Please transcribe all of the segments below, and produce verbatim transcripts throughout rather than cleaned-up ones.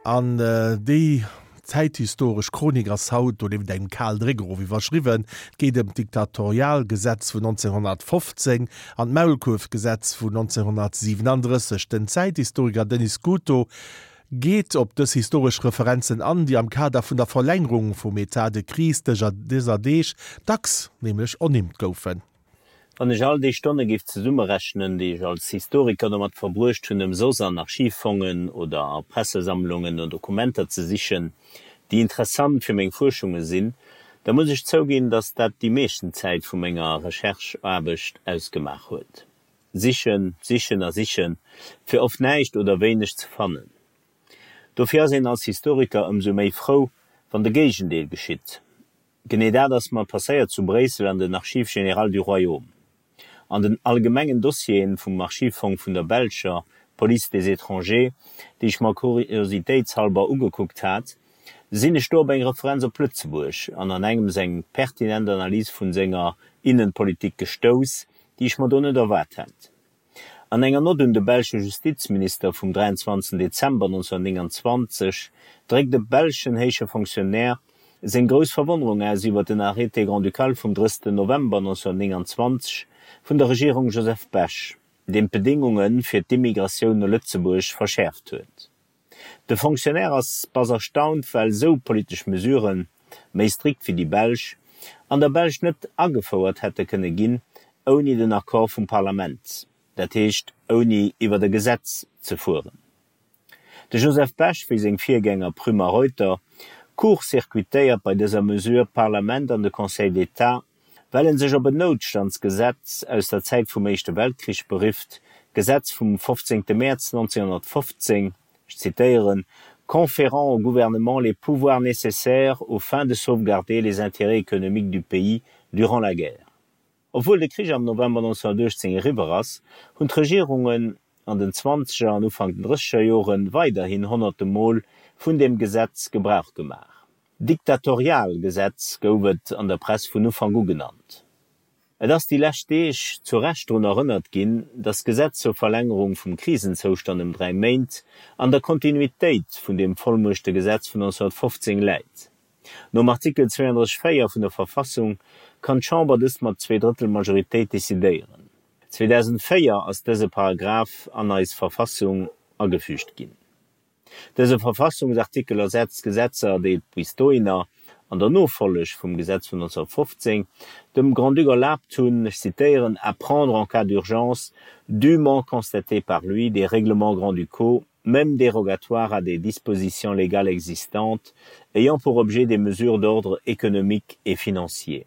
An déi zäithistoresch Chronik ass haut donieft engem Kal Dréck erof iwwerschriwwen. Et geet ëm d'Diktatorialgesetz vun nonzénghonnertfofzéng an d'Maulkuerfgesetz vun nonzénghonnertsiwenandrësseg. Den Zäithistoriker Denis Scuto geet op dës historesch Referenzen an, déi am Kader vun der Verlängerung vum État de crise dëser Deeg dacks nämlech ernimmt goufen. Wann ech all déi Stonne géif zesummerechnen, déi ech als Historiker domat verbruecht hunn, ëmsoss an Archivfongen oder a Pressesammlungen no Dokumenter ze sichen, déi interessant fir meng Fuerschunge sinn, da muss ech zouginn, datt dat déi meeschten Zäit vu menger Recherche-Aarbecht ausgemaach huet. Sichen, sichen a sichen, fir oft näischt oder wéineg ze fannen. Dofir ass een als Historiker ëmsou méi frou, wann de Géigendeel geschitt. Genee dat ass mer passéiert zu Bréissel an den Archives générales du Royaume. An den allgemengen Dossieren vum Archivfong vun der belscher Police des étrangers, déi ech mer kuriositéitshalber ugekuckt hat, sinn ech do op eng Referenz op Lëtzebuerg an an engems eng pertinent Analys vun senger Innenpolitik gestouss, déi ech mer do net erwaart hat. An enger Nott un de belsche Justizminister vum dräianzwanzegsten Dezember nonzénhunnertnénganzwanzeg dréckt e belschen héije Fonctionnaire seng grouss Verwonnerung aus iwwer den Arrêté grand-ducal vum drëssten November nonzénhunnertnénganzwanzeg vun der Regierung Joseph Bech, deen d'Bedéngunge fir d'Immigratioun no Lëtzebuerg verschäerft huet. De Fonctionnaire ass bass erstaunt, well esou politesch Mesuren, méi strikt wéi déi belsch, an der Belsch net agefouert hätte kënne ginn ouni den Accord vum Parlament, dat heescht ouni iwwert e Gesetz ze fueren. De Joseph Bech, wéi seng Virgänger Prüm a Reuter, court-circuitéiert bei dëser Mesure d'Parlament an de Conseil d'État, well en sech op en Noutstandsgesetz aus der Zäit vum Éischte Weltkrich berifft, d'Gesetz vum fofzéngte Mäerz nonzénhunnertfofzéng, ech zitéieren, conférant au gouvernement les pouvoirs nécessaires aux fins de sauvegarder les intérêts économiques du pays durant la guerre. Obwuel de Krich am November nonzénhunnertuechtzéng eriwwer ass, hunn d'Regierungen an den Zwanzeger an Ufank den Drësseger Jore weiderhin honnerte Mol vun deem Gesetz Gebrauch gemaach. Diktatorialgesetz gouf et an der Press vun Ufank u genannt. Et ass déi lescht Deeg zu Recht drun erënnert ginn, datt d'Gesetz zur Verlängerung vum Krisenzoustand ëm dräi Méint an der Kontinuitéit vun deem Vollmuechtegesetz vun nonzénhunnertfofzéng läit. Nom Artikel zwéiandrësseg véier vun der Verfassung kann d'Chamber dëst mat Zweedrëttel-Majoritéit decidéieren. zweedausendvéier ass dëse Paragraph an eis Verfassung agefügt ginn. Dëse Verfassungsartikel ersetzt Gesetzer, déi et bis dohinner, an der Nofolleg vum Gesetz vun nonzénhunnertfofzéng, dem Grand-Duc erlaabt hunn, ech zitéieren, à prendre en cas d'urgence dûment constatés par lui des règlements grand-ducaux même dérogatoires à des dispositions légales existantes ayant pour objet des mesures d'ordre économique et financier.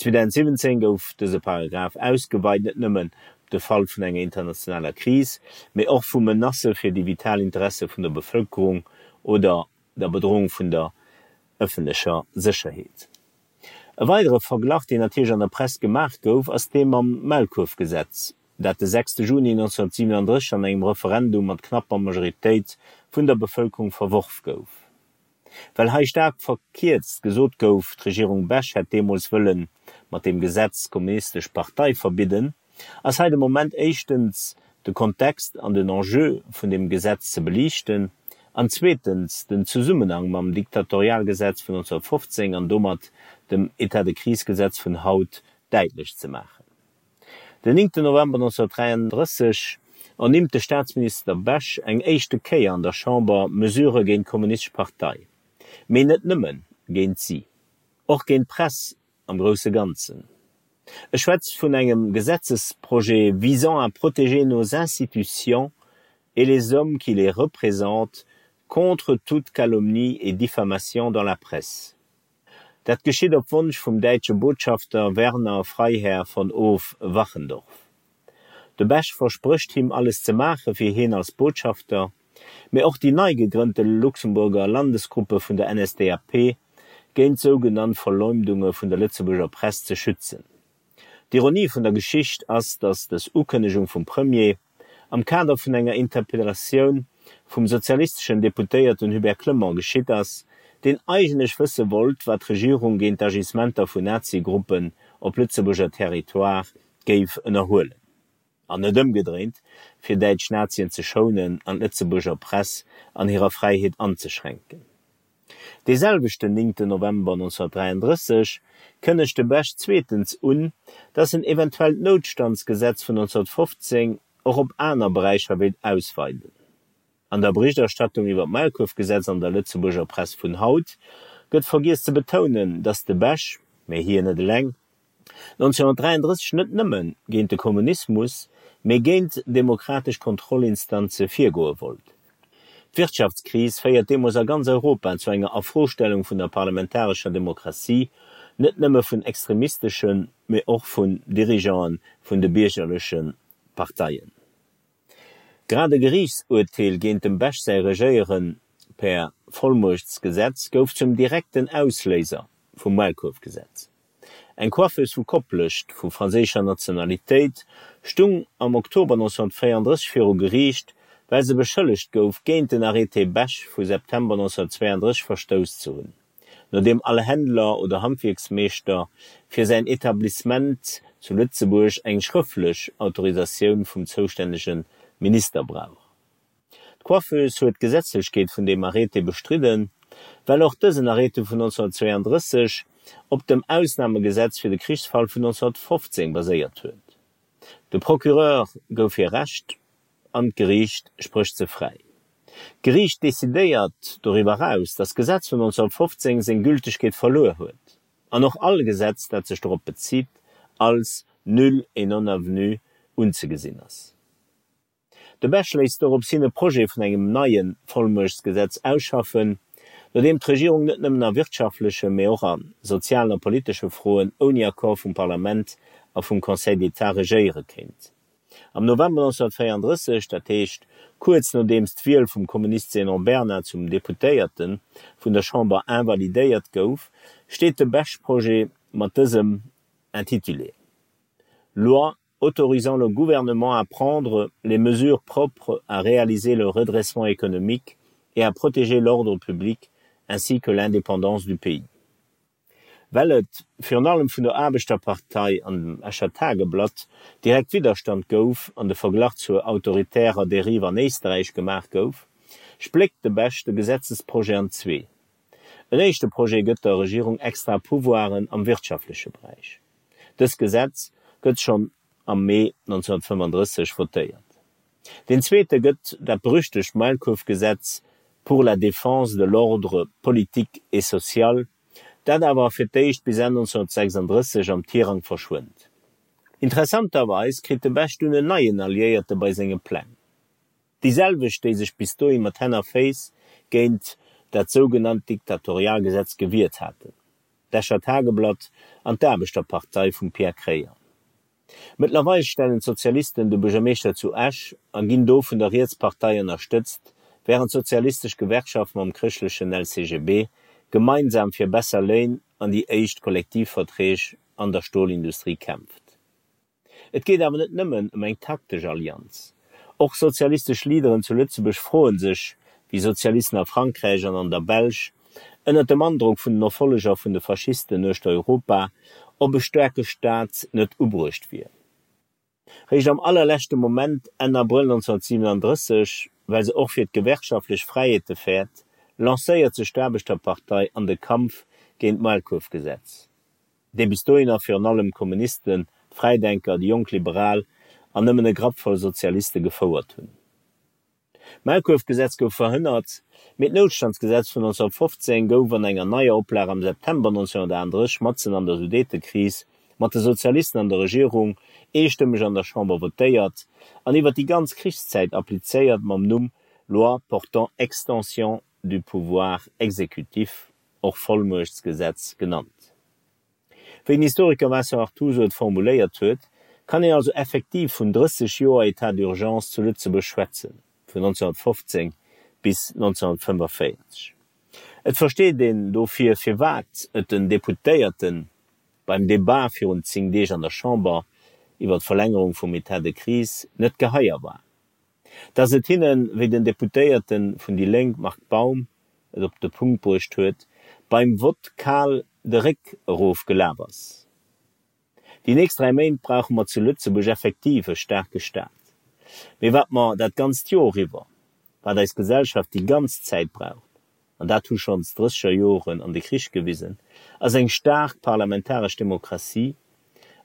zweedausendsiwwenzéng gouf dëse Paragraph ausgeweit, net nëmmen op de Fall vun enger internationaler Kris, mee och vu Menacë fir déi vital Interesse vun der Bevëlkerung oder der Bedrohung vun der ëffentlecher Sécherheet. E weidere Verglach, deen natierlech an der Press gemaach gouf, ass dee mam Maulkuerfgesetz, dat de sechste Juni nonzénhunnertsiwenandrësseg an engem Referendum mat knapper Majoritéit vun der Bevëlkerung verworf gouf. Well hei staark verkierzt gesot gouf, d'Regierung Bech hätt deemools wëlle mat deem Gesetz d'Kommunistesch Partei verbidden, ass hei de Moment éischtens de Kontext an den Enjeu vun deem Gesetz ze beliichten an zweetens den Zesummenhang mam Diktatorialgesetz vun nonzénhunnertfofzéng an domat dem État-de-crise-Gesetz vun haut däitlech ze maachen. Den néngten November nonzénhunnertdräiandrësseg ernimmt de Staatsminister Bech eng éischte Kéier an der Chamber Mesurë géint d'Kommunistesch Partei. Mee net nëmme géint si, och géint d'Press am grousse Ganzen. E schwätzt vun engem Gesetzesprojet visant à protéger nos institutions et les hommes qui les représentent contre toute calomnie et diffamation dans la presse. Dat geschitt op Wonsch vum däitsche Botschafter Werner Freiherr von Hof-Wachendorf. De Bech versprécht him alles ze maache fir hien als Botschafter, mee och déi nei gegrënnte Luxemburger Landesgruppe vun der N S D A P géint sougenannt Verleumdunge vun der Lëtzebuerger Press ze schützen. D'Ironie vun der Geschicht ass, datt dës Ukënnegung vum Premier am Kader vun enger Interpellatioun vum sozialisteschen Deputéierten Hubert Clement geschitt ass, deen eigentlech wësse wollt, wat d'Regierung géint d'Agissementer vun Nazi-Gruppen op Lëtzebuerger Territoire géif ënnerhuelen. An net ëmgedréint, fir däitsch Nazien ze schounen an d'Lëtzebuerger Press an hirer Fräiheet anzeschränken. Dee selwechten néngten November nonzehnhunnertdräianddrësseg kënnegt de Bech zweetens un, datt en eventuell d'Noutstandsgesetz vun nonzehnhunnertfofzéng och op aner Beräicher wéilt ausweiden. An der Berichterstattung iwwer d'Maulkuerfgesetz an der Lëtzebuerger Press vun haut gëtt vergiess ze betounen, datt de Bech, mä hien net eleng, nonzehnhunnertdräianddrësseg net nëmme géint de Kommunismus, mee géint demokratesch Kontrollinstanze virgoe wollt. D'Wirtschaftskris féiert deemools a ganz Europa zu enger Afrostellung vun der parlamentarescher Demokratie, net nëmme vun extremisteschen, mee och vun Dirigeante vun de biergerleche Parteien. Grad e Geriichtsurteel géint dem Bech säi Regéiere per Vollmuechtsgesetz gouf zum direkten Ausléiser vum Maulkuerfgesetz. Eng Coiffeuse vu Koplescht vu franséischer Nationalitéit stung am Oktober nonzehnhunnertvéierunddrësseg viru Geriicht, well se beschëllegt gouf, géint den Arrêté Bech vu September nonzehnhunnertzweianddrësseg verstouss ze hunn, no deem all Händler oder Handwierksmeeschter fir säin Etablissement zu Lëtzebuerg eng schrëftlech Autorisatioun vum zoustännege Minister brauch. D'Coiffeuse huet d'Gesetzlechkeet vun deem Arrêté bestridden, well och dësen Arrêté vun nonzehnhunnertzweianddrësseg op dem Ausnamegesetz fir de Krichsfall vun nonzehnhunnertfofzéng baséiert huet. De Procureur gouf hir Recht an d'Geriicht sprécht se fräi. D'Geriicht decidéiert doriwwer eraus, datt d'Gesetz vun nonzehnhunnertfofzéng seng Gültegkeet verluer huet an och all Gesetz, dat sech dorop bezitt, als nul et non avenu unzegesinn ass. De Bech léisst dorops hin e Projet vun engem neie Vollmuechtsgesetz ausschaffen, no deem d'Regierung net nëmmen a wirtschaftleche, mee och a sozialen a politesche Froen ouni Accord vum Parlament a vum Conseil d'État regéiere kéint. Am November nonzehnhunnertvéierunddrësseg, dat heescht kuerz nodeems d'Wiel vum Kommunist Zénon Bernard zum Deputéierte vun der Chamber invalidéiert gouf, steet de Bech-Projet mat dësem Intitulé, Loi autorisant le gouvernement à prendre les mesures propres à réaliser le redressement économique et à protéger l'ordre public ainsi que l'indépendance du pays. Well et, virun allem vun der Aarbechterpartei an dem Escher Tageblatt, direkt Widderstand gouf an de Verglach zur autoritärer Derive an Éisterräich gemaach gouf, spléckt de Bech de Gesetzesprojet an zwee. En éischte Projet gëtt der Regierung extra Pouvoiren am wirtschaftleche Beräich. Dëst Gesetz gëtt schonn am Mee nonzehnhunnertfënnfandrësseg votéiert. Deen zweete gëtt dat berüchtegt Maulkuerfgesetz pour la défense de l'ordre politique et social, dat awer fir d'éischt bis Enn nonzehnhunnertsechsandrësseg am Tirang verschwënnt. Interessanterweis kritt de Bech dunn en neien Alliéierte bei senge Pläng, déi selwecht, déi sech bis dohi mat Hänn a Féiss géint dat sougenannt Diktatorialgesetz gewiert haten, d'Escher Tageblatt an d'Aarbechterpartei vum Pierre Kreyer. Mëttlerweil stellen d'Sozialisten de Buergermeeschter zu Esch a ginn do vun der Rietspartei ënnerstëtzt, wärend d'sozialistesch Gewerkschaft mam chrëschtlechen L C G B gemeinsam fir besser Léin an déi éischt Kollektivverträg an der Stolindustrie kämpft. Et geet awer net nëmmen ëm eng taktesch Allianz. Och sozialistesch Leaderen zu Lëtzebuerg froe sech, wéi Sozialisten a Frankräich an an der Belsch, ënnert dem Androck vun den Erfolleger vun de Faschisten uechter Europa, ob e staarke Staat net ubruecht wier. Réischt am allerleschte Moment, Enn Abrëll nonzehnhunnertsiwenandrësseg, well se och fir d'gewerkschaftlech Fräiheete fäert, lancéiert sech d'Aarbechterpartei an de Kampf géint d'Maulkuerfgesetz, dee bis dohinner virun allem d'Kommunisten, d'Fräidenker, déi jonk Liberal an nëmmen e Grappvoll Sozialiste gefouert hunn. D'Maulkuerfgesetz gouf verhënnert, mee d'Noutstandsgesetz vun nonzehnhunnertfofzéng gouf an enger neier Oplag am September nonzehnhunnertaachunddrësseg, matzen an der Sudetekris, mat de Sozialisten an der Regierung, eestëmmeg an der Chamber votéiert an iwwer déi ganz Krichszäit applizéiert mam Numm Loi portant extension du pouvoir exécutif, och Vollmuechtsgesetz genannt. Wéi den Historiker Vincent Artuso et formuléiert huet, kann een also effektiv vun drësseg Joer État d'urgence zu Lëtzebuerg schwätzen, vun nonzehnhunnertfofzéng bis nonzehnhunnertfënnefvéierzeg. Et versteet een dofir, firwat et den Deputéierte beim Debat virun zéng Deeg an der Chamber iwwer d'Verlängerung vum État de crise net geheier war, dass et hinnen, wéi den Deputéierte vun déi Lénk Marc Baum et op de Punkt bruecht huet, beim Vott kal de Réck erof gelaf ass. Déi nächst dräi Méint brauche mer zu Lëtzebuerg effektiv e staarke Staat. Mee wat mer dat ganzt Joer iwwer, wat eis Gesellschaft déi ganz Zäit braucht, an dat hu schonns d'Drësseger Joren an de Krich gewisen, ass eng staark parlamentaresch Demokratie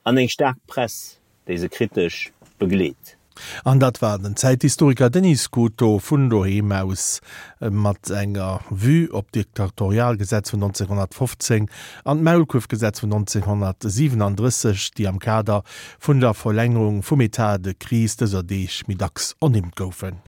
an eng staark Press, déi se kritesch begleet. An dat war den Zäithistoriker Denis Scuto vun doheem aus mat enger Vue op d'Diktatorialgesetz vun neunzehnhunnertfofzéng an d'Maulkuerfgesetz vun neunzehnhunnertsiewenunddrësseg, déi am Kader vun der Verlängerung vum État de crise dëser Deeg méi dacks ernimmt goufen.